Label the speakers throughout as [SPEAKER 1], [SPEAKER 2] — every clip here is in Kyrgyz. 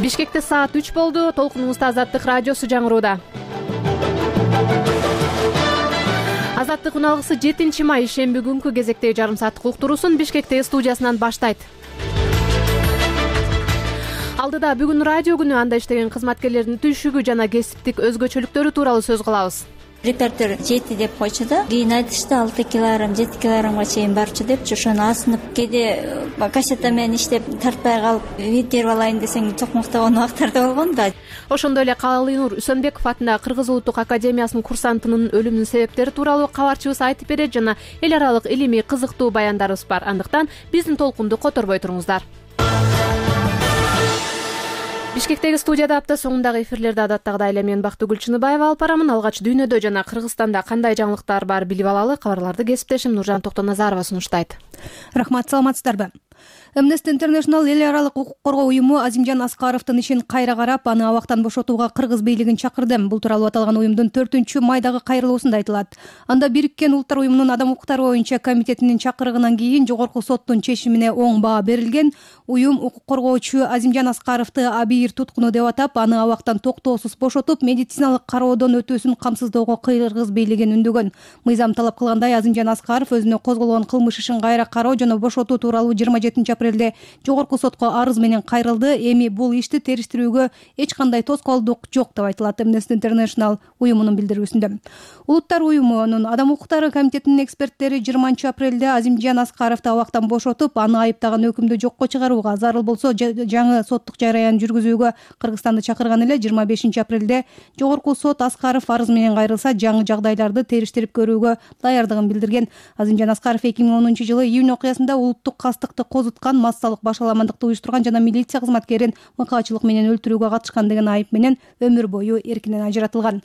[SPEAKER 1] Бишкекте саат 3 болду. Толкунубузда Азаттык радиосу жаңырууда. Азаттык уналгысы 7 май шемби күнкү кезектеги жарым сааттык уктуруусун Бишкектеги студиясынан баштайт. Алдыда бүгүн радио күнү, анда иштеген кызматкерлердин түйшүгү жана кесиптик өзгөчөлүктөрү тууралуу сөз кылабыз.
[SPEAKER 2] Репертер 7 деп койчу да. Кийин айтышты 6 килограмм, 7 килограммга чейин барчу депчи. Ошону асынып кээде кассета менен иштеп тартпай калып витерип алайын десең токмоктогон убактарда болгон да.
[SPEAKER 1] Ошондой эле Калыйнур Үсөнбеков атындагы Кыргыз Улуттук Академиясынын курсантынын өлүмүнүн себептери тууралуу кабарчыбыз айтып берет жана эл аралык илимий кызыктуу баяндарыбыз бар. Андыктан биздин толкунду которбой туруңуздар. Бишкектеги студияда апта соңундагы эфирлерди адаттагыдай эле мен Бактыгүл Чыныбаева алып барамын. Алгач дүйнөдө жана Кыргызстанда кандай жаңылыктар бар билип алалы. Кабарларды кесиптешим Нуржан Токтоназарова сунуштайт.
[SPEAKER 3] Рахмат, саламатсыздарбы? Amnesty International эл аралык укук коргоо уюму Азимжан Аскаровдун ишин кайра карап, аны абактан бошотууга кыргыз бийлигин чакырды. Бул тууралуу аталган уюмдун 4-майдагы кайрылуусунда айтылат. Анда Бириккен Улуттар уюмунун адам укуктары боюнча комитетинин чакырыгынан кийин жогорку соттун чечимине оң баа берилген. Уюм укук коргоочу Азимжан Аскаровду абийир туткуну деп атап, аны абактан токтоосуз бошотуп, медициналык кароодон өтүүсүн камсыздоого кыргыз бийлигин үндөгөн. Мыйзам талап кылгандай, Азимжан Аскаров өзүнө козголгон кылмыш ишин кайра кароо жана бошотуу тууралуу 27-апрелде жогорку сотко арыз менен кайрылды. Эми бул ишти териштирүүгө эч кандай тоскоолдук жок деп айтылат Amnesty International уюмунун билдирүүсүндө. Улуттар уюмунун адам укуктары комитетинин эксперттери 20-апрелде Азимжан Аскаровду абактан бошотуп, аны айыптаган өкүмдү жокко чыгарууга, зарыл болсо жаңы соттук жараян жүргүзүүгө Кыргызстанды чакырган эле. 25-апрелде жогорку сот Аскаров арыз менен кайрылса, жаңы жагдайларды териштирип көрүүгө даярдыгын билдирген. Азимжан Аскаров 2010-жылы июнь окуясында улуттук кастыкты козуткан, массалык башаламандыкты уюштурган жана милиция кызматкерин мыкаачылык менен өлтүрүүгө катышкан деген айып менен өмүр бою эркинен ажыратылган.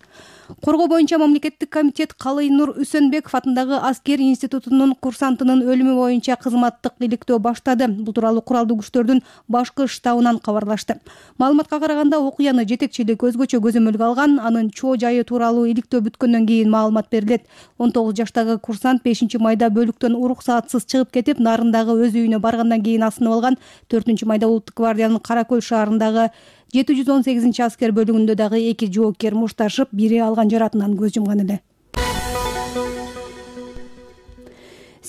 [SPEAKER 3] Коргоо боюнча мамлекеттик комитет Калыйнур Үсөнбеков атындагы аскер институтунун курсантынын өлүмү боюнча кызматтык иликтөө баштады. Бул тууралуу куралдуу күчтөрдүн башкы штабынан кабарлашты. Маалыматка караганда, окуяны жетекчилик өзгөчө көзөмөлгө алган. Анын чоо жайы тууралуу иликтөө бүткөндөн кийин маалымат берилет. 19 жаштагы курсант 5-майда бөлүктөн уруксаатсыз чыгып кетип, нарындагы өз үйүнө баргандан кийин асынып алган. 4-майда Улуттук гвардиянын Кара Көл шаарындагы 718-аскер бөлүгүндө дагы 2 жоокер мушташып, бири алган жаратынан көз жумган эле.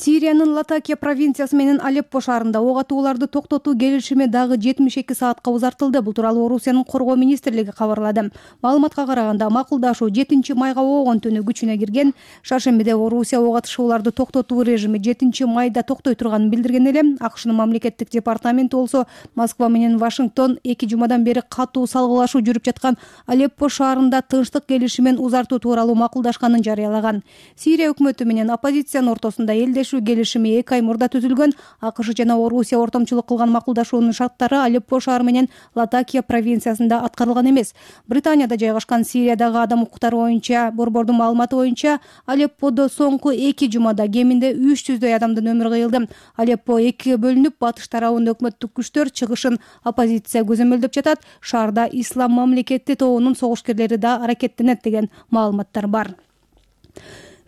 [SPEAKER 3] Сириянын Латакия провинциясы менен Алеппо шаарында ок атууларды токтотуу келишими дагы 72 саатка узартылды. Бул тууралуу Орусиянын коргоо министрлиги кабарлады. Маалыматка караганда, макулдашуу 7-майга оогон түнү күчүнө кирген. Шаршембиде Орусия ок атышууларды токтотуу режими 7-майда токтой турганын билдирген эле. АКШнын мамлекеттик департаменти болсо Москва менен Вашингтон 2 жумадан бери катуу салгылашуу жүрүп жаткан Алеппо шаарында тынчтык келишимин узартуу тууралуу макулдашканын жарыялаган. Сирия өкмөтү менен оппозициянын ортосунда элдешүү келишими 2 ай мурда түзүлгөн. АКШ жана Орусия ортомчулук кылган макулдашуунун шарттары Алеппо шаары менен Латакия провинциясында аткарылган эмес. Британияда жайгашкан Сириядагы адам укуктары боюнча борбордун маалыматы боюнча, Алепподо соңку 2 жумада кеминде 300дөй адамдын өмүрү кыйылды. Алеппо 2-ге бөлүнүп, батыш тарабында өкмөттүк күчтөр, чыгышын оппозиция көзөмөлдөп жатат. Шаарда Ислам мамлекети тобунун согушкерлери да аракеттенет деген маалыматтар бар.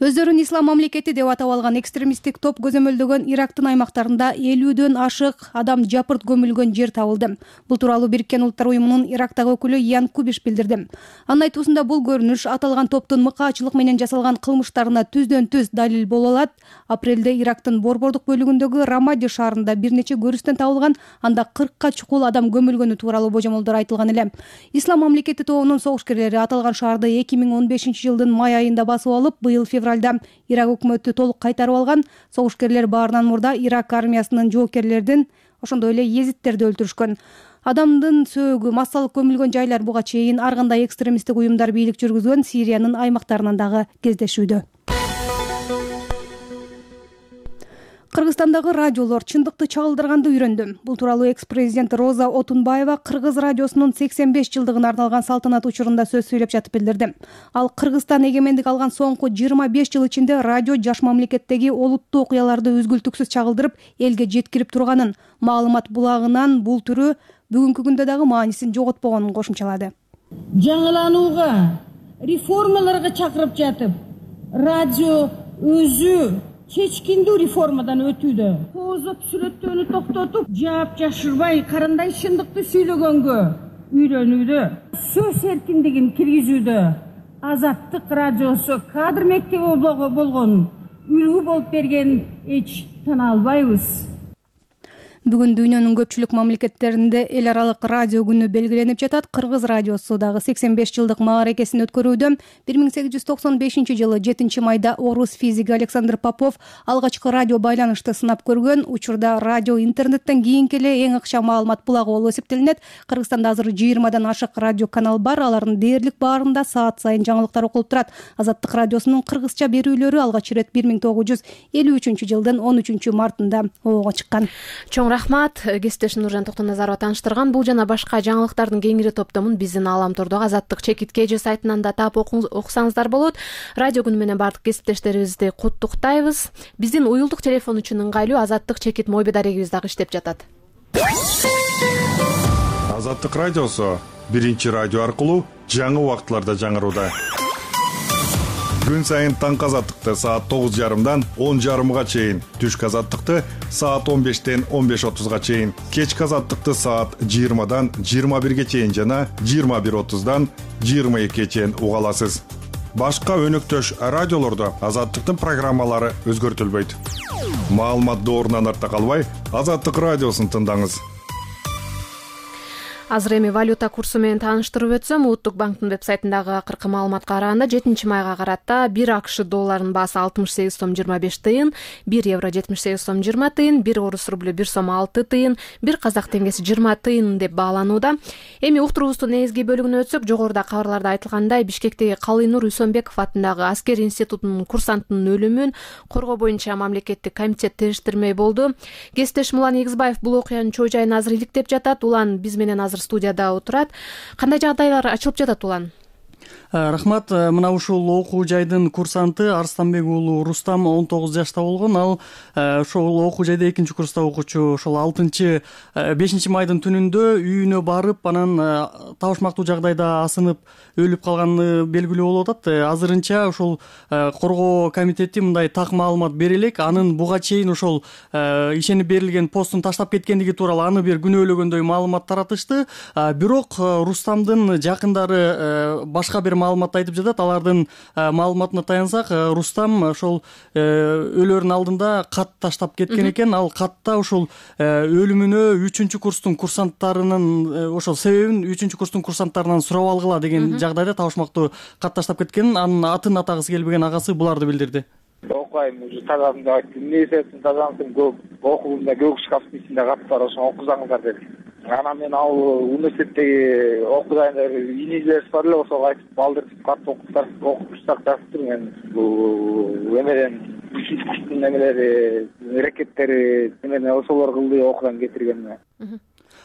[SPEAKER 3] Өздөрүн Ислам мамлекети деп атап алган экстремисттик топ көзөмөлдөгөн Ирактын аймактарында 50дөн ашык адам жапырт көмүлгөн жер табылды. Бул тууралуу Бириккен Улуттар уюмунун Ирактагы өкүлү Ян Кубиш билдирди. Анын айтуусунда, бул көрүнүш аталган топтун мыкаачылык менен жасалган кылмыштарына түздөн-түз далил боло алат. Апрелде Ирактын борбордук бөлүгүндөгү Рамади шаарында бир нече көрүстөн табылган, анда 40ка чукул адам көмүлгөнү тууралуу божомолдор айтылган эле. Ислам мамлекети тобунун согушкерлери аталган шаарды 2015-жылдын май айында басып алып, быйыл февралда Ирак өкмөтү толук кайтарып алган. Согушкерлер баарынан мурда Ирак армиясынын жоокерлердин, ошондой эле езиттерди өлтүрүшкөн. Адамдын сөөгү, массалык көмүлгөн жайлар буга чейин ар кандай экстремисттик уюмдар бийлик жүргүзгөн Сириянын аймактарынан дагы кездешүүдө. Кыргызстандагы радиолор чындыкты чагылдырганды үйрөндү. Бул тууралуу экс-президент Роза Отунбаева Кыргыз радиосунун 85 жылдыгына арналган салтанат учурунда сөз сүйлөп жатып билдирди. Ал Кыргызстан эгемендик алган соңку 25 жыл ичинде радио жаш мамлекеттеги олуттуу окуяларды үзгүлтүксүз чагылдырып, элге жеткирип турганын, маалымат булагынын бул түрү бүгүнкү күндө дагы маанисин жоготпогонун кошумчалады.
[SPEAKER 4] Жаңыланууга, реформаларга чакырып жатып, радио өзү чечкиндүү реформадан өтүүдө. Кооздоп сүрөттөөнү токтотуп, жаап жашырбай, карандай чындыкты сүйлөгөнгө үйрөнүүдө, сөз эркиндигин киргизүүдө Азаттык радиосу кадр мектеби болгон үлгү болуп берген эч тана албайбыз.
[SPEAKER 3] Бүгүн дүйнөнүн көпчүлүк мамлекеттеринде эл аралык радио күнү белгиленип жатат. Кыргыз радиосу дагы 85 жылдык мааракесин өткөрүүдө. 1895 жылы 7 майда орус физиги Александр Попов алгачкы радио байланышты сынап көргөн. Учурда радио интернеттен кийинки эле эң ыкчам маалымат булагы болуп эсептелинет. Кыргызстанда азыр 20дан ашык радио канал бар. Алардын дээрлик баарында саат сайын жаңылыктар окулуп турат. Азаттык радиосунун кыргызча берүүлөрү алгач ирет 1953 жылдын 13 мартында оого чыккан.
[SPEAKER 1] Рахмат, кесиптешим Нуржан Токтоназарова тааныштырган. Бул жана башка жаңылыктардын кеңири топтомун биздин Ааламтордогу Азаттык чекит KG сайтынан да таап окусаңыздар болот. Радио күнү менен бардык кесиптештерибизди куттуктайбыз. Биздин уюлдук телефон үчүн ыңгайлуу Азаттык чекит мобил дарегибиз дагы иштеп жатат.
[SPEAKER 5] Азаттык радиосу биринчи радио аркылуу жаңы убакытларда жаңырууда. Күн сайын таңкы азаттыкты саат 9:30дан 10:30га чейин, түшкү азаттыкты саат 15-тен 15:30га чейин, кечки азаттыкты саат 20-дан 21-ге чейин жана 21:30-дан 22-ге чейин уга аласыз. Башка өнөктөш радиолордо азаттыктын программалары өзгөртүлбөйт. Маалымат доорунан артта калбай, Азаттык радиосун тыңдаңыз.
[SPEAKER 1] Азыр эми валюта курсу менен тааныштырып өтсөм, Улуттук банктын вебсайтындагы акыркы маалыматка караганда 7 майга карата 1 АКШ долларынын баасы 68 сом 25 тыйын, 1 евро 78 сом 20 тыйын, 1 орус рублю 1 сом 6 тыйын, 1 казак теңгеси 20 тыйын деп бааланууда. Эми уктуруубуздун негизги бөлүгүнө өтсөк, жогоруда кабарларда айтылгандай, Бишкектеги Калыйнур Үсөнбеков атындагы аскер институтунун курсантынын өлүмүн коргоо боюнча мамлекеттик комитет териштирмей болду. Кесиптешим Улан Эгизбаев бул окуянын чоо жайын азыр иликтеп жатат. Улан биз менен азыр студияда отурат. Кандай жагдайлар ачылып жатат, Улан?
[SPEAKER 6] Рахмат. Мына ушул окуу жайдын курсанты Арстанбек уулу Рустам 19 жашта болгон. Ал ошол окуу жайда 2-курста окуучу. Ошол 5 майдын түнүндө үйүнө барып, анан табышмактуу жагдайда асынып өлүп калганы белгилүү болуп атат. Азырынча ошол коргоо комитети мындай так маалымат бере элек. Анын буга чейин ошол ишенип берилген постун таштап кеткендиги тууралуу аны бир күнөөлөгөндөй маалымат таратышты. Бирок Рустамдын жакындары башка бир маалымат айтып жатат. Алардын маалыматына таянсак, Рустам ошол өлөрүнүн алдында кат таштап кеткен экен. Ал катта ошол өлүмүнө 3-курстун курсанттарынын ошол себебин 3-курстун курсанттарынан сурап алгыла деген жагдайда табышмактуу кат таштап кеткен. Анын атын атагысы келбеген агасы буларды билдирди.
[SPEAKER 7] Окуйм, уже тазадым деп айттым. Эмне себептен тазадым? Көп окуумда көк шкафтын ичинде кат бар, ошону окузаңыздар деди. Анан мен ал университеттеги окуганда инежилерибиз бар эле, ошого айтып балдыртып кат окутуштар жазып тур. Мен бул эмеден 3-курстун немелери, рекеттери эмне ошолор кылды, окудан кетирген.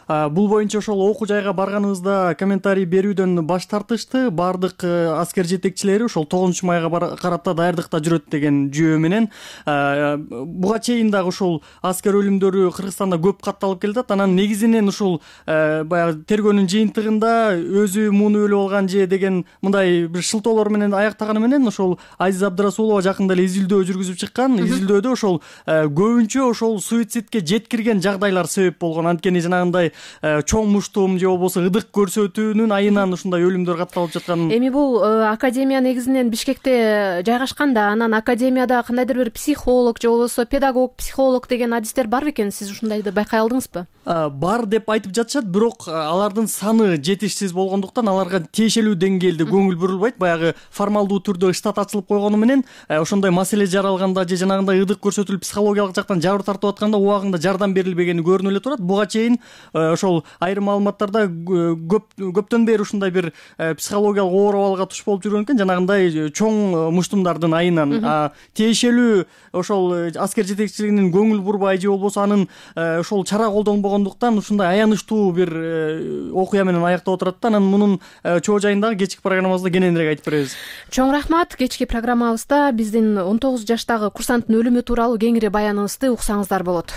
[SPEAKER 6] Бул боюнча ошол окуу жайга барганыбызда комментарий берүүдөн баш тартышты. Бардык аскер жетекчилери ошол 9 майга карата даярдыкта жүрөт деген жүйө менен. Буга чейин дагы ошол аскер өлүмдөрү Кыргызстанда көп катталып келатат. Анан негизинен ушул баягы тергөөнүн жыйынтыгында өзү муну өлүп алган же деген мындай бир шылтоолор менен аяктаганы менен ошол Азиза Абдрасулова жакында эле изилдөө жүргүзүп чыккан. Изилдөөдө ошол көбүнчө ошол суицидке жеткирген жагдайлар себеп болгон. Анткени жанагындай чоң муштум же болбосо ыдык көрсөтүүнүн айынан ушундай өлүмдөр катталып жаткан.
[SPEAKER 1] Эми бул академия негизинен Бишкекте жайгашканда, анан академияда кандайдыр бир психолог же болбосо педагог, психолог деген адистер бар бекен? Сиз ушундайды байкай алдыңызбы?
[SPEAKER 6] Бар деп айтып жатышат, бирок алардын саны жетишсиз болгондуктан аларга тиешелүү деңгээлде көңүл бурулбайт. Баягы формалдуу түрдө штат ачылып койгону менен ошондой маселе жаралганда же жанагындай ыдык көрсөтүлүп психологиялык жактан жабыр тартып атканда убагында жардам берилбегени көрүнүп эле турат. Буга чейин ошол айрым маалыматтарда көптөн бери ушундай бир психологиялык оор абалга туш болуп жүргөн экен, жанагындай чоң муштумдардын айынан. Тиешелүү ошол аскер жетекчилигинин көңүл бурбай же болбосо анын ошол чара колдонбогондуктан ушундай аянычтуу бир окуя менен аяктап отурат да. Анан мунун чоо жайындагы кечки программабызда кененирээк айтып беребиз.
[SPEAKER 1] Чоң рахмат. Кечки программабызда биздин 19 жаштагы курсанттын өлүмү тууралуу кеңири баяныбызды уксаңыздар болот.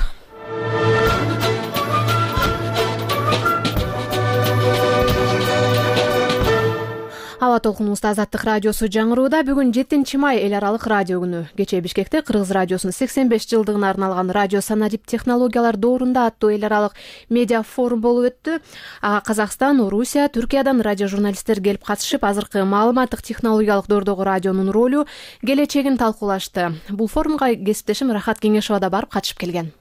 [SPEAKER 1] Ал аба толкунубузда Азаттык радиосу жаңырууда. Бүгүн 7 май эл аралык радио күнү. Кечээ Бишкекте Кыргыз радиосунун 85 жылдыгына арналган радио санарип технологиялар доорунда аттуу эл аралык медиа форум болуп өттү. Ага Казакстан, Орусия, Түркиядан радио журналисттер келип катышып, азыркы маалыматтык технологиялык доордогу радионун ролу, келечегин талкуулашты. Бул форумга кесиптешим Рахат Кеңешова да барып катышып келген.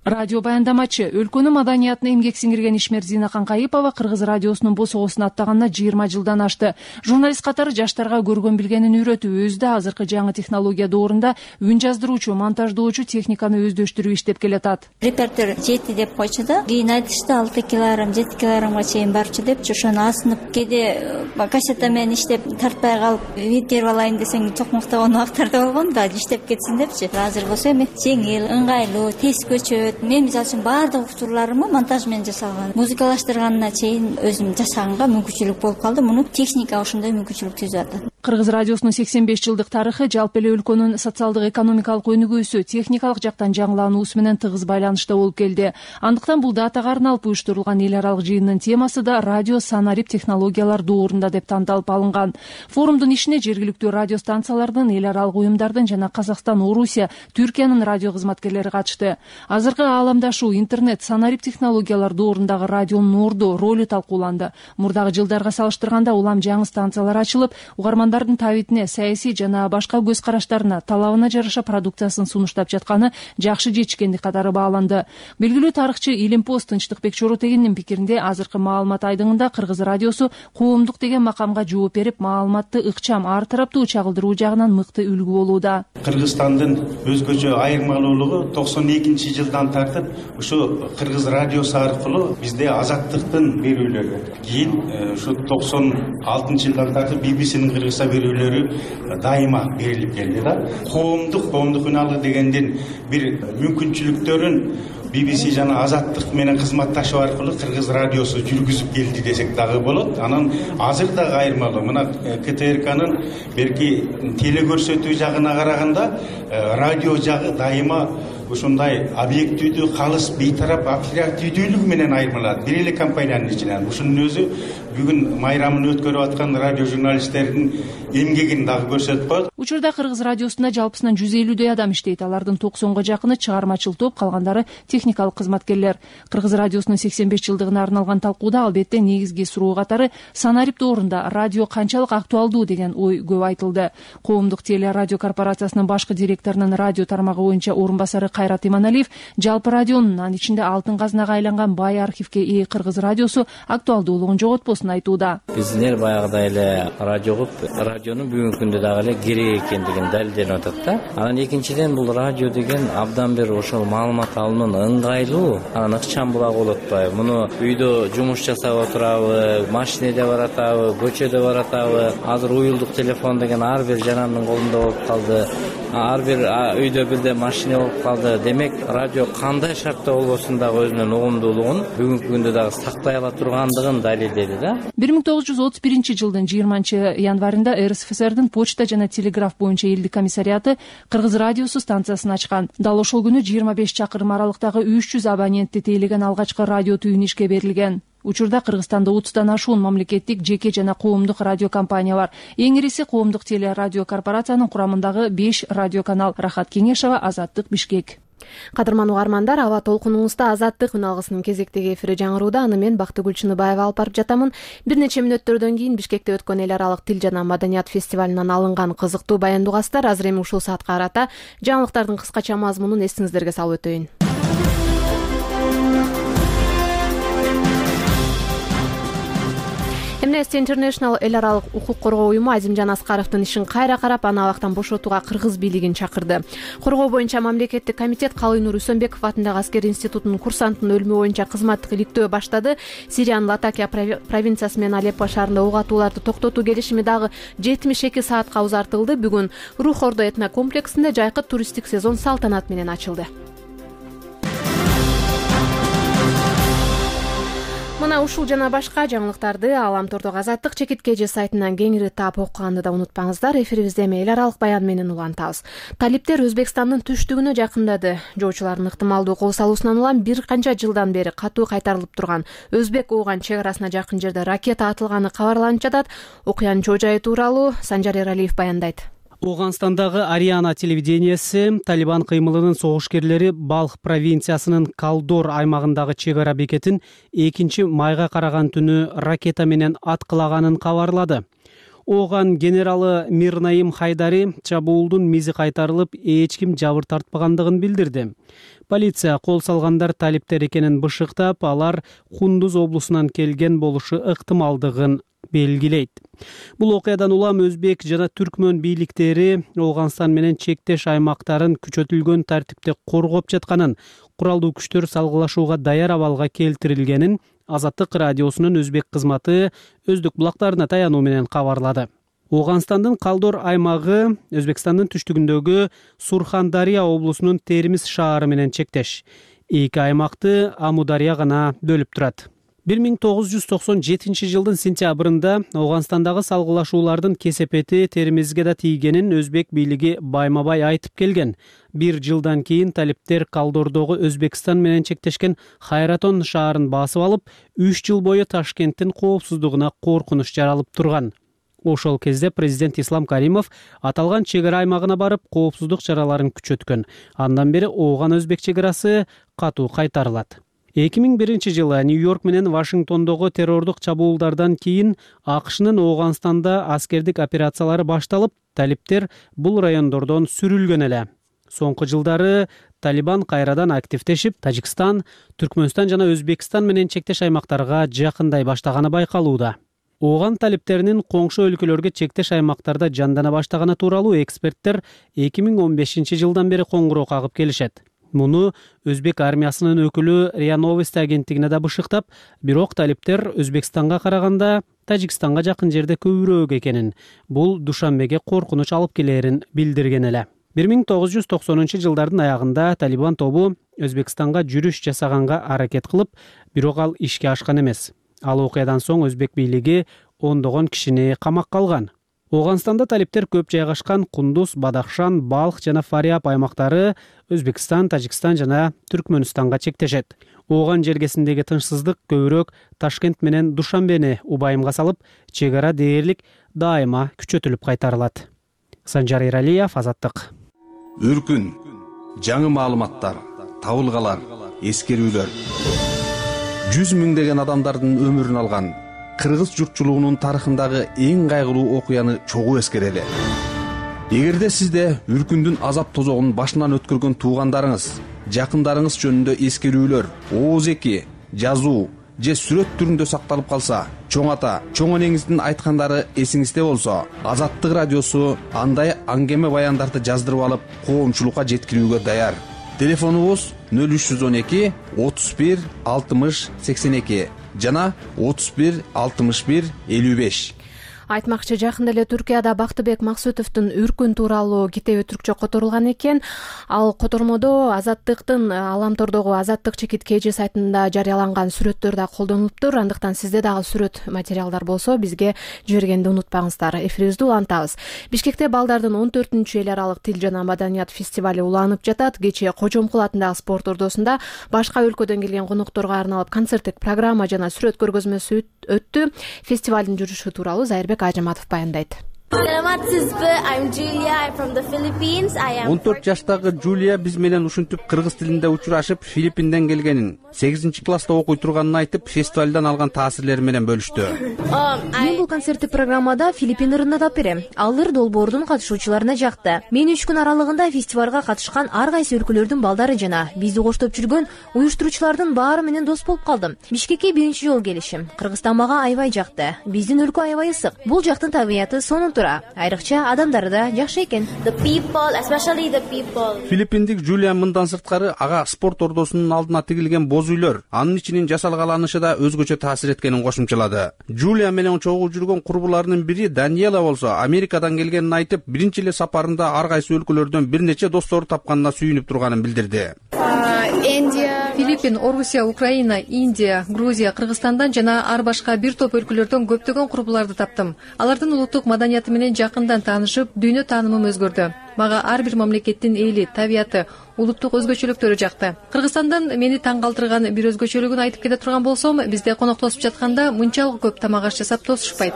[SPEAKER 8] Радио баяндамачы, өлкөнүн маданиятына эмгек сиңирген ишмер Зина Канкайыпова Кыргыз радиосунун босогосун аттаганына 20 жылдан ашты. Журналист катары жаштарга көргөн билгенин үйрөтүп, өзү да азыркы жаңы технология доорунда үн жаздыруучу, монтаждоочу техниканы өздөштүрүп иштеп келатат.
[SPEAKER 2] Репертер 7 деп койчу да, кийин айтышты 6 килограмм, 7 килограммга чейин барчу депчи, ошону асынып, кээде кассета менен иштеп тартпай калып, видео алайын десең чокмоктогон убактарда болгон да, иштеп кетсин депчи. Азыр болсо эми жеңил, ыңгайлуу, тез көчөт. Мен мисалы үчүн баардык учурларымды монтаж менен жасалган. Музыкалаштырганына чейин өзүм жасаганга мүмкүнчүлүк болуп калды. Муну техника ошондой мүмкүнчүлүк түзүп атат.
[SPEAKER 8] Кыргыз радиосунун 85 жылдык тарыхы жалпы эле өлкөнүн социалдык экономикалык өнүгүүсү, техникалык жактан жаңылануусу менен тыгыз байланышта болуп келди. Андыктан бул датага арналып уюштурулган эл аралык жыйындын темасы да радио санарип технологиялар доорунда деп тандалып алынган. Форумдун ишине жергиликтүү радио станциялардын, эл аралык уюмдардын жана Казакстан, Орусия, Түркиянын радио кызматкерлери катышты. Азыркы ааламдашуу, интернет, санарип технологиялар доорундагы радионун орду, ролу талкууланды. Мурдагы жылдарга салыштырганда улам жаңы станциялар ачылып, угармандардын табитине, саясий жана башка көз караштарына, талабына жараша продукциясын сунуштап жатканы жакшы жетишкендик катары бааланды. Белгилүү тарыхчы Илимпоз Тынчтыкбек Чоротегиндин пикиринде, азыркы маалымат айдыңында Кыргыз радиосу коомдук деген макамга жооп берип, маалыматты ыкчам, ар тараптуу чагылдыруу жагынан мыкты үлгү болууда.
[SPEAKER 9] Кыргызстандын өзгөчө айырмалуулугу 92-жылдан тартып ушу Кыргыз радиосу аркылуу бизде азаттыктын берүүлөрү, кийин ушу 96-жылдан тартып BBC'нин Кыргызча берүүлөрү дайыма берилип келди да. Коомдук үналгы дегенден бир мүмкүнчүлүктөрүн BBC жана азаттык менен кызматташуу аркылуу Кыргыз радиосу жүргүзүп келди десек дагы болот. Анан азыр дагы айырмалуу. Мына КТРКнын берки телекөрсөтүү жагына караганда радио жагы дайыма ушундай объективдүү, калыс, бейтарап, оперативдүүлүгү менен айырмаланат. Бир эле компаниянын ичинен. Ушунун өзү бүгүн майрамын өткөрүп аткан радио журналисттердин эмгегин дагы көрсөтүп коет.
[SPEAKER 8] Учурда Кыргыз радиосунда жалпысынан 150 адам иштейт. Алардын 90га жакыны чыгармачыл топ, калгандары техникалык кызматкерлер. Кыргыз радиосунун 85 жылдыгына арналган талкууда албетте негизги суроо катары санарип доорунда радио канчалык актуалдуу деген ой көп айтылды. Коомдук телерадио корпорациясынын башкы директорунун радио тармагы боюнча орун басары Кайрат Иманалиев жалпы радионун, анын ичинде алтын казынага айланган бай архивке ээ Кыргыз радиосу актуалдуулугун жоготпосун айтууда.
[SPEAKER 10] Биздер баягыдай эле радионун бүгүнкү күндө дагы эле керек экендигин далилденип атат да. Анан экинчиден бул радио деген абдан бир ошол маалымат алуунун ыңгайлуу, анан ыкчам булагы болуп атпайбы. Муну үйдө жумуш жасап отурабы, машинеде баратабы, көчөдө баратабы. Азыр уюлдук телефон деген ар бир жанандын колунда болуп калды. Ар бир үйдө бирде машина болуп калды. Демек радио кандай шартта болбосун дагы өзүнүн угумдуулугун бүгүнкү күндө дагы сактай ала тургандыгын далилдеди да.
[SPEAKER 8] 1931 жылдын 20 январында РСФСРдин почта жана телеграф боюнча элдик комиссариаты Кыргыз радиосу станциясын ачкан. Дал ошол күнү 25 чакырым аралыктагы 300 абонентти тейлеген алгачкы радио түйүн ишке берилген. Учурда Кыргызстанда 30тан ашуун мамлекеттик, жеке жана коомдук радио компания бар. Эң ириси коомдук телерадио корпорациянын курамындагы 5 радиоканал. Рахат Кеңешова, Азаттык, Бишкек.
[SPEAKER 1] Кадырман угармандар, аба толкунуңузда Азаттык үналгысынын кезектеги эфири жаңырууда. Аны мен Бактыгүл Чыныбаева алып барып жатамын. Бир нече мүнөттөрдөн кийин Бишкекте өткөн эл аралык тил жана маданият фестивалынан алынган кызыктуу баяндуугастар. Азыр эми ушул саатка карата жаңылыктардын кыскача мазмунун эсиңиздерге салып өтөйүн. Amnesty International эл аралык укук коргоо уюму Азимжан Аскаровдун ишин кайра карап, аны абактан бошотууга кыргыз бийлигин чакырды. Коргоо боюнча мамлекеттик комитет Калыйнур Үсөнбеков атындагы аскер институтунун курсантынын өлүмү боюнча кызматтык иликтөө баштады. Сириянын Латакия провинциясы менен Алеппо шаарында ок атууларды токтотуу келишими дагы 72 саатка узартылды. Бүгүн Рух Ордо этнокомплексинде жайкы туристтик сезон салтанат менен ачылды. мына ушул жана башка жаңылыктарды Аламтордогу Азаттык чекиткеji сайтынан кеңири таап окуганды да унутпаңыздар. Эфирибизде эл аралык баян менен улантабыз. Талиптер Өзбекстандын түштүгүнө жакындады. Жоочулардын ыктымалдуу кол салуусунан улам бир канча жылдан бери катуу кайтарылып турган Өзбек-Ооган чек арасына жакын жерде ракета атылганы кабарланып жатат. Окуянын чоо жайы тууралуу Санжар Эралиев баяндайт.
[SPEAKER 11] Оогандстандагы Ариана телевиденияси Талибан кыймылынын согушкерлери Балх провинциясынын Калдор аймагындагы чек ара бекетин 2-майга караган түнү ракета менен аткылаганын кабарлады. Ооган генералы Мирнаим Хайдари чабуулдун мизи кайтарылып, эч ким жабыр тартпагандыгын билдирди. Полиция кол салгандар талиптер экенин бышыктап, алар Кундуз облусунан келген болушу ыктымалдыгын белгилейт. Бул окуядан улам өзбек жана түркмөн бийликтери Оогандстан менен чектеш аймактарын күчөтүлгөн тартипте коргоп жатканын, куралдуу күчтөр салгылашууга даяр абалга келтирилгенин Азаттык радиосунун өзбек кызматы өздүк булактарына таянуу менен кабарлады. Оогандстандын Калдор аймагы Өзбекстандын түштүгүндөгү Сурхандария облусунун Термиз шаары менен чектеш. Эки аймакты Амудария гана бөлүп турат. 1997 жылдын сентябрында Оогандстандагы салгылашуулардын кесепети Термизге да тийгенин өзбек бийлиги байма-бай айтып келген. Бир жылдан кийин талиптер Калдордогу Өзбекстан менен чектешкен Хайратон шаарын басып алып, 3 жыл бою Ташкенттин коопсуздугуна коркунуч жаралып турган. Ошол кезде президент Ислам Каримов аталган чек ара аймагына барып, коопсуздук чараларын күчөткөн. Андан бери Ооган-Өзбек чек арасы катуу кайтарылат. 2001 жылы Нью-Йорк менен Вашингтондогу террордук чабуулдардан кийин АКШнын Оогандстанда аскердик операциялары башталып, талиптер бул райондордон сүрүлгөн эле. Соңку жылдары Талибан кайрадан активдешип, Тажикстан, Түркмөнстан жана Өзбекстан менен чектеш аймактарга жакындай баштаганы байкалууда. Ооган талиптеринин коңшу өлкөлөргө чектеш аймактарда жандана баштаганы тууралуу эксперттер 2015 жылдан бери коңгуроо кагып келишет. Муну Өзбек армиясынын өкүлү РИА Новости агенттигине да бышыктап, бирок талиптер Өзбекстанга караганда Тажикстанга жакын жерде көбүрөөк экенин, бул Душанбеге коркунуч алып келерин билдирген эле. 1990 жылдардын аягында Талибан тобу Өзбекстанга жүрүш жасаганга аракет кылып, бирок ал ишке ашкан эмес. Ал окуядан соң өзбек бийлиги ондогон кишини камакка алган. Оогандстанда талиптер көп жайгашкан Кундуз, Бадахшан, Балх жана Фариаб аймактары Өзбекстан, Тажикстан жана Түркмөнстанга чектешет. Ооган жергесиндеги тынчсыздык көбүрөөк Ташкент менен Душанбени убайымга салып, чек ара дээрлик дайыма күчөтүлүп кайтарылат. Санжар Эралиев, Азаттык.
[SPEAKER 12] Үркүн, жаңы маалыматтар, табылгалар, эскерүүлөр. 100 миңдеген адамдардын өмүрүн алган кыргыз журтчулугунун тарыхындагы эң кайгылуу окуяны чогуу эскерели. Эгерде сизде үркүндүн азап тозогун башынан өткөргөн туугандарыңыз, жакындарыңыз жөнүндө эскерүүлөр, ооз-эки, жазуу же сүрөт түрүндө сакталып калса, чоң ата, чоң энеңиздин айткандары эсиңизде болсо, Азаттык радиосу андай аңгеме баяндарды жаздырып алып, коомчулукка жеткирүүгө даяр. Телефонубуз 0312 31 60 82 жана 31 61 55.
[SPEAKER 1] Айтмакчы, жакында эле Түркияда Бактыбек Максутовдун Үркүн тууралуу китеби түркчө которулган экен. Ал котормодо Азаттыктын Аламтордогу Азаттык чекиткеji сайтында жарыяланган сүрөттөр да колдонулуптур. Андыктан сизде дагы сүрөт материалдар болсо бизге жибергенди унутпаңыздар. Эфирибизди улантабыз. Бишкекте балдардын 14-эл аралык тил жана маданият фестивали уланып жатат. Кечээ Кожомкул атындагы спорт ордосунда башка өлкөдөн келген конокторго арналып концерттик программа жана сүрөт көргөзмөсү өттү. Фестивалдын жүрүшү тууралуу Зайырбек Ажыматов баяндайт.
[SPEAKER 13] Саламатсызбы? I'm Julia. I'm from the Philippines.
[SPEAKER 14] 14 жаштагы Жулия биз менен ушинтип кыргыз тилинде учурашып, Филиппинден келгенин, 8-класста окуй турганын айтып, фестивалдан алган таасирлери менен бөлүштү.
[SPEAKER 15] Мен бул концерттик программада Филиппин ырына тап берем. Ал ыр долбоордун катышуучуларына жакты. Мен 3 күн аралыгында фестивалга катышкан ар кайсы өлкөлөрдүн балдары жана бизди коштоп жүргөн уюштуруучулардын баары менен дос болуп калдым. Бишкекке биринчи жолу келишим. Кыргызстан мага аябай жакты. Биздин өлкө аябай ысык. Бул жактын табияты сонун тура. Айрыкча адамдары да жакшы экен.
[SPEAKER 14] Филиппиндик Жулия мындан сырткары ага спорт ордосунун алдына тигилген боз үйлөр, анын ичинин жасалгаланышы да өзгөчө таасир эткенин кошумчалады. Жулия менен чогуу жүргөн курбуларынын бири Даниэла болсо Америкадан келгенин айтып, биринчи эле сапарында ар кайсы өлкөлөрдөн бир нече достору тапканына сүйүнүп турганын билдирди.
[SPEAKER 16] Филиппин, Орусия, Украина, Индия, Грузия, Кыргызстандан жана ар башка бир топ өлкөлөрдөн көптөгөн курбуларды таптым. Алардын улуттук маданияты менен жакындан таанышып, дүйнө таанымым өзгөрдү. Мага ар бир мамлекеттин эли, табияты, улуттук өзгөчөлүктөрү жакты. Кыргызстандын мени таң калтырган бир өзгөчөлүгүн айтып кете турган болсом, бизде коноктошуп жатканда мынчалык көп тамак аш жасап тосушпайт.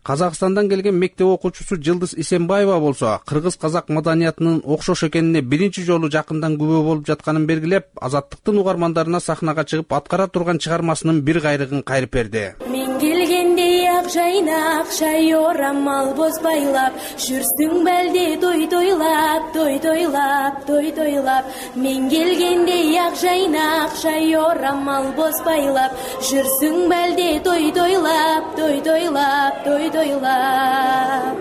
[SPEAKER 14] Казакстандан келген мектеп окуучусу Жылдыз Исенбаева болсо, кыргыз-казак маданиятынын окшош экенине биринчи жолу жакындан күбө болуп жатканын белгилеп, Азаттыктын угармандарына сахнага чыгып аткара турган чыгармасынын бир кайрыгын кайрып берди.
[SPEAKER 17] Мен келгенде ак жайнак, шай орамал боз байлап, жүрсүң белди той тойлап, той тойлап, той тойлап. Мен келгенде ак жайнак, шай орамал боз байлап, жүрсүң белди той тойлап, той тойлап, той тойлап.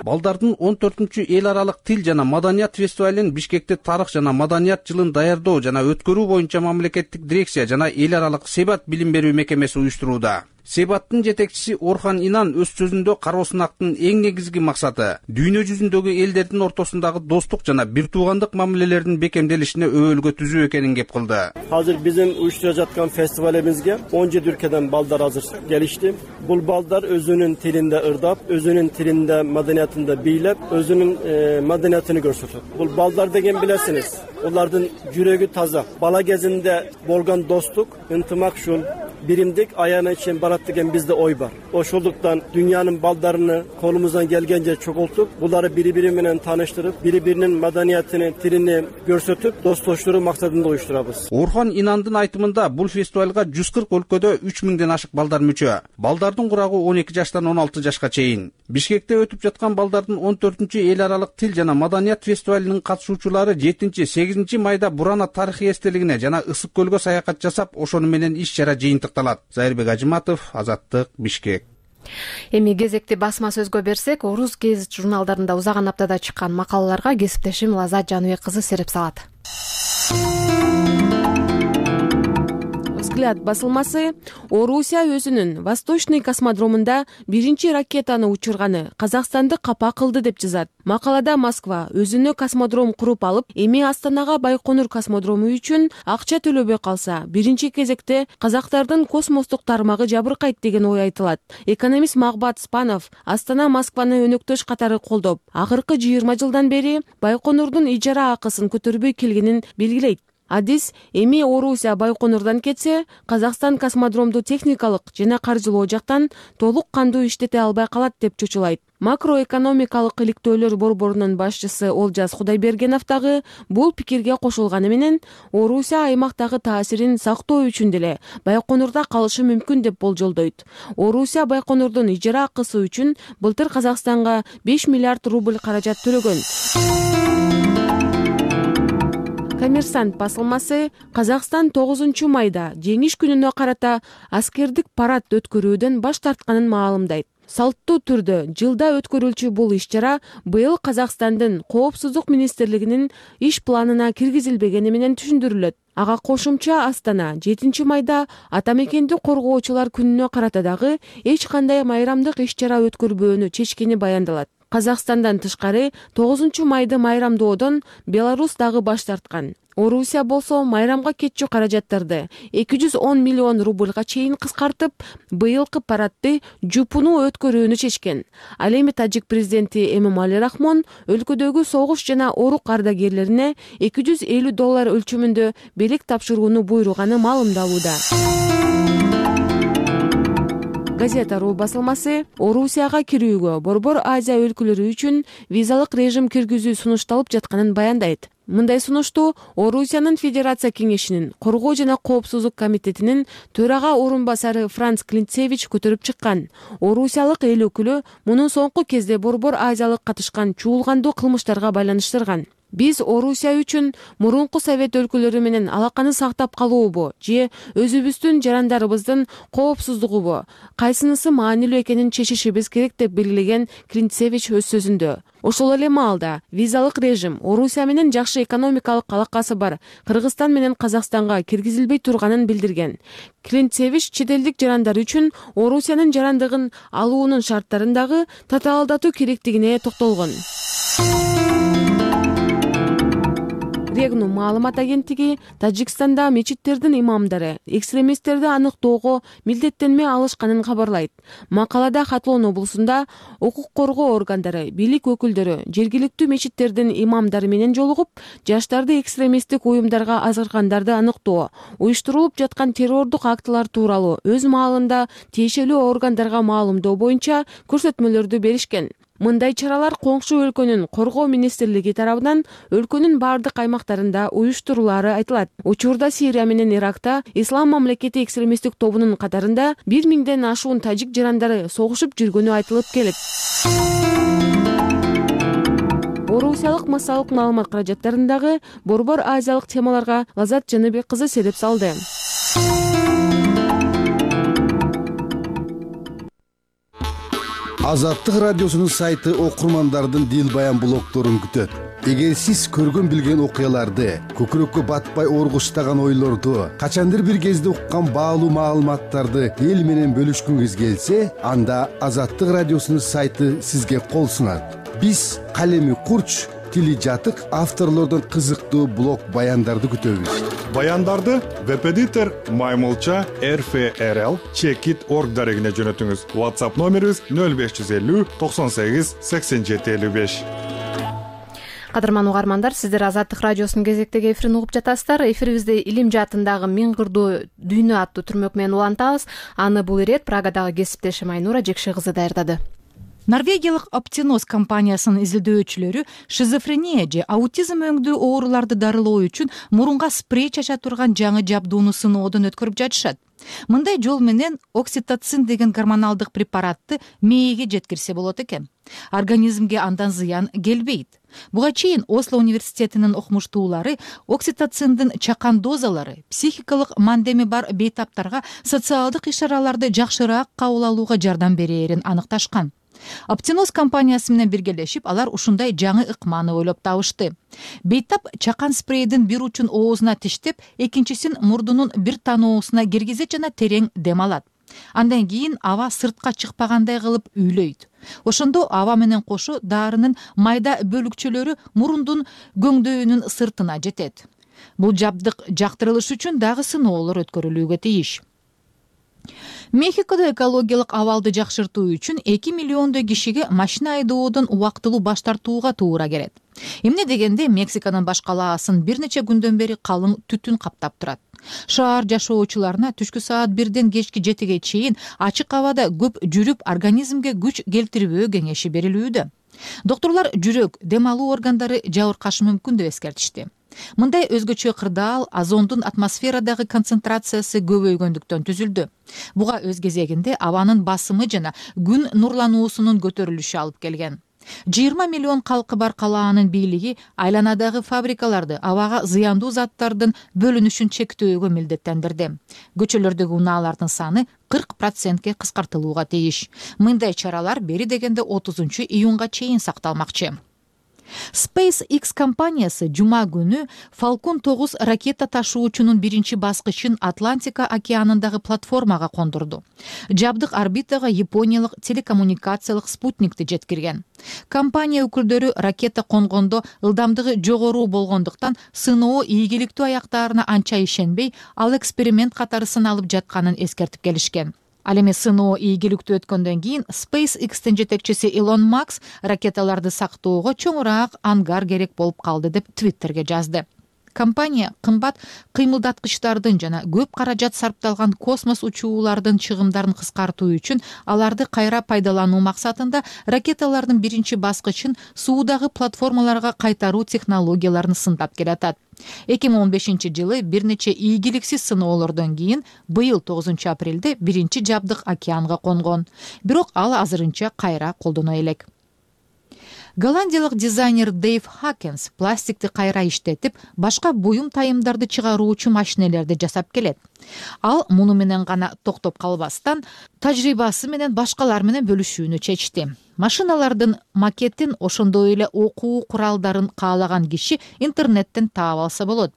[SPEAKER 14] Балдардын 14-чү эл аралык тил жана маданият фестивалын Бишкекте тарых жана маданият жылын даярдоо жана өткөрүү боюнча мамлекеттик дирекция жана эл аралык Себат билим берүү мекемеси уюштурууда. Себаттын жетекчиси Орхан Инан өз сөзүндө кароо сынактын эң негизги максаты дүйнө жүзүндөгү элдердин ортосундагы достук жана бир туугандык мамилелердин бекемделишине өбөлгө түзүү экенин кеп кылды.
[SPEAKER 18] Азыр биздин уюштуруп жаткан фестивалыбызга 17 өлкөдөн балдар азыр келишти. Бул балдар өзүнүн тилинде ырдап, өзүнүн тилинде маданиятында бийлеп, өзүнүн маданиятын көрсөтөт. Бул балдар деген билесиңиз, улардын жүрөгү таза. Бала кезинде болгон достук, ынтымакчыл, биримдик аяна чейин барат деген бизде ой бар. Ошондуктан дүйнөнүн балдарыны колумуздан келгенче чогултуп, буларды бири-бири менен тааныштырып, бири-биринин маданиятын, тилин көрсөтүп, достоштуруу максатында уюштурабыз.
[SPEAKER 14] Орхан Инандын айтымында бул фестивалга 140 өлкөдө 3000ден ашык балдар мүчө. Балдардын курагы 12 жаштан 16 жашка чейин. Бишкекте өтүп жаткан балдардын 14-чү эл аралык тил жана маданият фестивалынын катышуучулары 7-8 майда Бурана тарыхый эстелигине жана Ысык көлгө саякат жасап, ошону менен иш-чара жыйынтыкталат. Зайырбек Ажыматов, Азаттык, Бишкек.
[SPEAKER 1] Эми кезекти басма сөзгө берсек, Орус гезит журналдарында узаган аптада чыккан макалаларга кесиптешим Лазат Жаныбек кызы сереп салат.
[SPEAKER 19] Взгляд басылмасы Орусия өзүнүн Восточный космодромунда биринчи ракетаны учурганы Казакстанды капа кылды деп жазат. Макалада Москва өзүнө космодром куруп алып, эми Астанага Байконур космодрому үчүн акча төлөбөй калса, биринчи кезекте казактардын космостук тармагы жабыркайт деген ой айтылат. Экономист Магбат Спанов Астана Москваны өнөктөш катары колдоп, акыркы 20 жылдан бери Байконурдун ижара акысын көтөрбөй келгенин белгилейт. Адис эми Орусия Байконурдан кетсе, Казакстан космодромду техникалык жана каржылоо жактан толук кандуу иштете албай калат деп чочулайт. Макроэкономикалык иликтөөлөр борборунун башчысы Олжас Кудайбергенов дагы бул пикирге кошулганы менен, Орусия аймактагы таасирин сактоо үчүн деле Байконурда калышы мүмкүн деп болжолдойт. Орусия Байконурдун ижара акысы үчүн былтыр Казакстанга 5 миллиард рубль каражат төлөгөн. Коммерсант басылмасы Казакстан 9 майда жеңиш күнүнө карата аскердик парад өткөрүүдөн баш тартканын маалымдайт. Салттуу түрдө жылда өткөрүлчү бул иш-чара быйыл Казакстандын Коопсуздук министрлигинин иш планына киргизилбегени менен түшүндүрүлөт. Ага кошумча Астана 7 майда ата мекенди коргоочулар күнүнө карата дагы эч кандай майрамдык иш-чара өткөрбөөнү чечкени баяндалат. Казакстандан тышкары 9 майды майрамдоодон Беларусь дагы баш тарткан. Орусия болсо майрамга кетчү каражаттарды 210 миллион рубльга чейин кыскартып, быйылкы парадды жупуну өткөрүүнү чечкен. Ал эми Тажик президенти Эмомали Рахмон өлкөдөгү согуш жана орук ардагерлерине $250 өлчөмүндө белек тапшырууну буйруганы маалымдалууда. Газета.ру басылмасы Орусияга кирүүгө Борбор Азия өлкөлөрү үчүн визалык режим киргизүү сунушталып жатканын баяндайт. Мындай сунушту Орусиянын Федерация кеңешинин Коргоо жана Коопсуздук комитетинин төрага орун басары Франц Клинцевич көтөрүп чыккан. Орусиялык эл өкүлү муну соңку кезде Борбор Азиялык катышкан чуулгандуу кылмыштарга байланыштырган. Биз Орусия үчүн мурунку совет өлкөлөрү менен алаканы сактап калуубу же өзүбүздүн жарандарыбыздын коопсуздугубу, кайсынысы маанилүү экенин чечишибиз керек деп белгилеген Клинцевич өз сөзүндө. Ошол эле маалда визалык режим Орусия менен жакшы экономикалык алакасы бар Кыргызстан менен Казакстанга киргизилбей турганын билдирген. Клинцевич чет элдик жарандар үчүн Орусиянын жарандыгын алуунун шарттарын дагы татаалдатуу керектигине токтолгон. Регну маалымат агенттиги Тажикстанда мечиттердин имамдары экстремисттерди аныктоого милдеттенме алышканын кабарлайт. Макалада Хатлон облусунда укук коргоо органдары, бийлик өкүлдөрү жергиликтүү мечиттердин имамдары менен жолугуп, жаштарды экстремисттик уюмдарга азыркандарды аныктоо, уюштурулуп жаткан террордук актылар тууралуу өз маалында тиешелүү органдарга маалымдоо боюнча көрсөтмөлөрдү беришкен. Мындай чаралар коңшу өлкөнүн коргоо министрлиги тарабынан өлкөнүн бардык аймактарында уюштурулары айтылат. Учурда Сирия менен Иракта Ислам мамлекети экстремисттик тобунун катарында 1000ден ашуун тажик жарандары согушуп жүргөнү айтылып келет. Орусиялык массалык маалымат каражаттарындагы борбор азиялык темаларга Лазат Жаныбек кызы сереп салды.
[SPEAKER 20] Азаттык радиосунун сайты окурмандардын дил баян блогдорун күтөт. Эгер сиз көргөн билген окуяларды, көкүрөккө батпай оргуштаган ойлорду, качандыр бир кезде уккан баалуу маалыматтарды эл менен бөлүшкүңүз келсе, анда Азаттык радиосунун сайты сизге кол сунат. Биз калеми курч, тили жатык авторлордон кызыктуу блог баяндарды күтөбүз.
[SPEAKER 5] Баяндарды веб-эдитор Маймылча RFRL Checkit.org дарегине жөнөтүңүз. WhatsApp номерибиз 0550 98 87 55.
[SPEAKER 1] Кадырман угармандар, сиздер Азаттык радиосунун кезектеги эфирин угуп жатасыздар. Эфирибизде Илим жаатындагы миң кырдуу дүйнө аттуу түрмөк менен улантабыз. Аны бул ирет Прагадагы кесиптешим Айнура Жекше кызы даярдады.
[SPEAKER 21] Норвегиялык Optinos компаниясынын изилдөөчүлөрү шизофрения же аутизм өңдүү ооруларды дарылоо үчүн мурунга спрей чача турган жаңы жабдууну сыноодон өткөрүп жатышат. Мындай жол менен окситоцин деген гормоналдык препаратты мээге жеткирсе болот экен. Организмге андан зыян келбейт. Буга чейин Осло университетинин окумуштуулары окситоциндин чакан дозалары психикалык мандеми бар бейтаптарга социалдык иш-чараларды жакшыраак кабыл алууга жардам берээрин аныкташкан. Optinos компаниясы менен биргелешип, алар ушундай жаңы ыкманы ойлоп табышты. Бейтап чакан спрейдин бир учун оозуна тиштеп, экинчисин мурдунун бир таноосуна киргизет жана терең дем алат. Андан кийин аба сыртка чыкпагандай кылып үйлөйт. Ошондо аба менен кошо дарынын майда бөлүкчөлөрү мурундун көңдөйүнүн сыртына жетет. Бул жабдык жактырылыш үчүн дагы сыноолор өткөрүлүүгө тийиш. Мехикодо экологиялык абалды жакшыртуу үчүн 2 миллиондой кишиге машина айдоодон убактылуу баш тартууга туура келет. Эмне дегенде Мексиканын баш калаасын бир нече күндөн бери калың түтүн каптап турат. Шаар жашоочуларына түшкү саат 1ден кечки 7ге чейин ачык абада көп жүрүп организмге күч келтирбөө кеңеши берилүүдө. Докторлор жүрөк, дем алуу органдары жабыркашы мүмкүн деп эскертишти. Мындай өзгөчө кырдаал озондун атмосферадагы концентрациясы көбөйгөндүктөн түзүлдү. Буга өз кезегинде абанын басымы жана күн нурлануусунун көтөрүлүшү алып келген. 20 миллион калкы бар калаанын бийлиги айланадагы фабрикаларды абага зыяндуу заттардын бөлүнүшүн чектөөгө милдеттендирди. Көчөлөрдөгү унаалардын саны 40%ке кыскартылууга тийиш. Мындай чаралар бери дегенде 30-июнга чейин сакталмакчы. SpaceX компаниясы жума күнү Falcon 9 ракета ташуучунун биринчи баскычын Атлантика океанындагы платформага кондурду. Жабдык орбитага Япониялык телекоммуникациялык спутникти жеткирген. Компания өкүлдөрү ракета конгондо ылдамдыгы жогору болгондуктан сыноо ийгиликтүү аяктаарына анча ишенбей, ал эксперимент катары сыналып жатканын эскертип келишкен. Ал эми сыноо ийгиликтүү өткөндөн кийин SpaceX'тин жетекчиси Илон Маск ракеталарды сактоого чоңураак ангар керек болуп калды деп Twitterге жазды. Компания кымбат кыймылдаткычтардын жана көп каражат сарпталган космос учуулардын чыгымдарын кыскартуу үчүн аларды кайра пайдалануу максатында ракеталардын биринчи баскычын суудагы платформаларга кайтаруу технологияларын сындап келатат. 2015-жылы бир нече ийгиликсиз сыноолордон кийин быйыл 9 апрелде биринчи жабдык океанга конгон. Бирок ал азырынча кайра колдоно элек. Голландиялык дизайнер Дейв Хакенс пластикти кайра иштетип, башка буюм тайымдарды чыгаруучу машинелерди жасап келет. Ал муну менен гана токтоп калбастан, тажрыйбасы менен башкалар менен бөлүшүүнү чечти. Машиналардын макетин, ошондой эле окуу куралдарын каалаган киши интернеттен таап алса болот.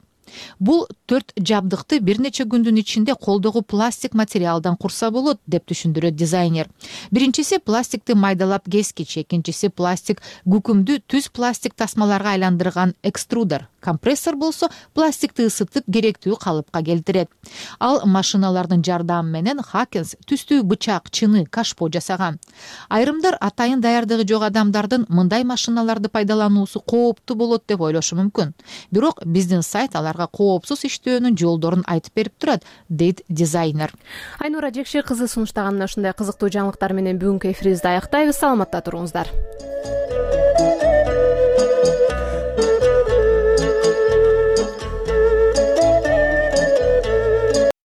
[SPEAKER 21] Бул 4 жабдыкты бир нече күндүн ичинде колдогу пластик материалдан курса болот деп түшүндүрөт дизайнер. Биринчиси пластикти майдалап кескич, экинчиси пластик күкүмдү түз пластик тасмаларга айландырган экструдер. Компрессор болсо пластикти ысытып керектүү калыпка келтирет. Ал машиналардын жардамы менен Хакенс түстүү бычак, чыны, кашпо жасаган. Айрымдар атайын даярдыгы жок адамдардын мындай машиналарды пайдалануусу кооптуу болот деп ойлошу мүмкүн. Бирок биздин сайт аларга коопсуз иштөөнүн жолдорун айтып берип турат, дейт дизайнер.
[SPEAKER 1] Айнура Жекши кызы сунуштаган ушундай кызыктуу жаңылыктар менен бүгүнкү эфирибизди аяктайбыз. Саламатта туруңуздар.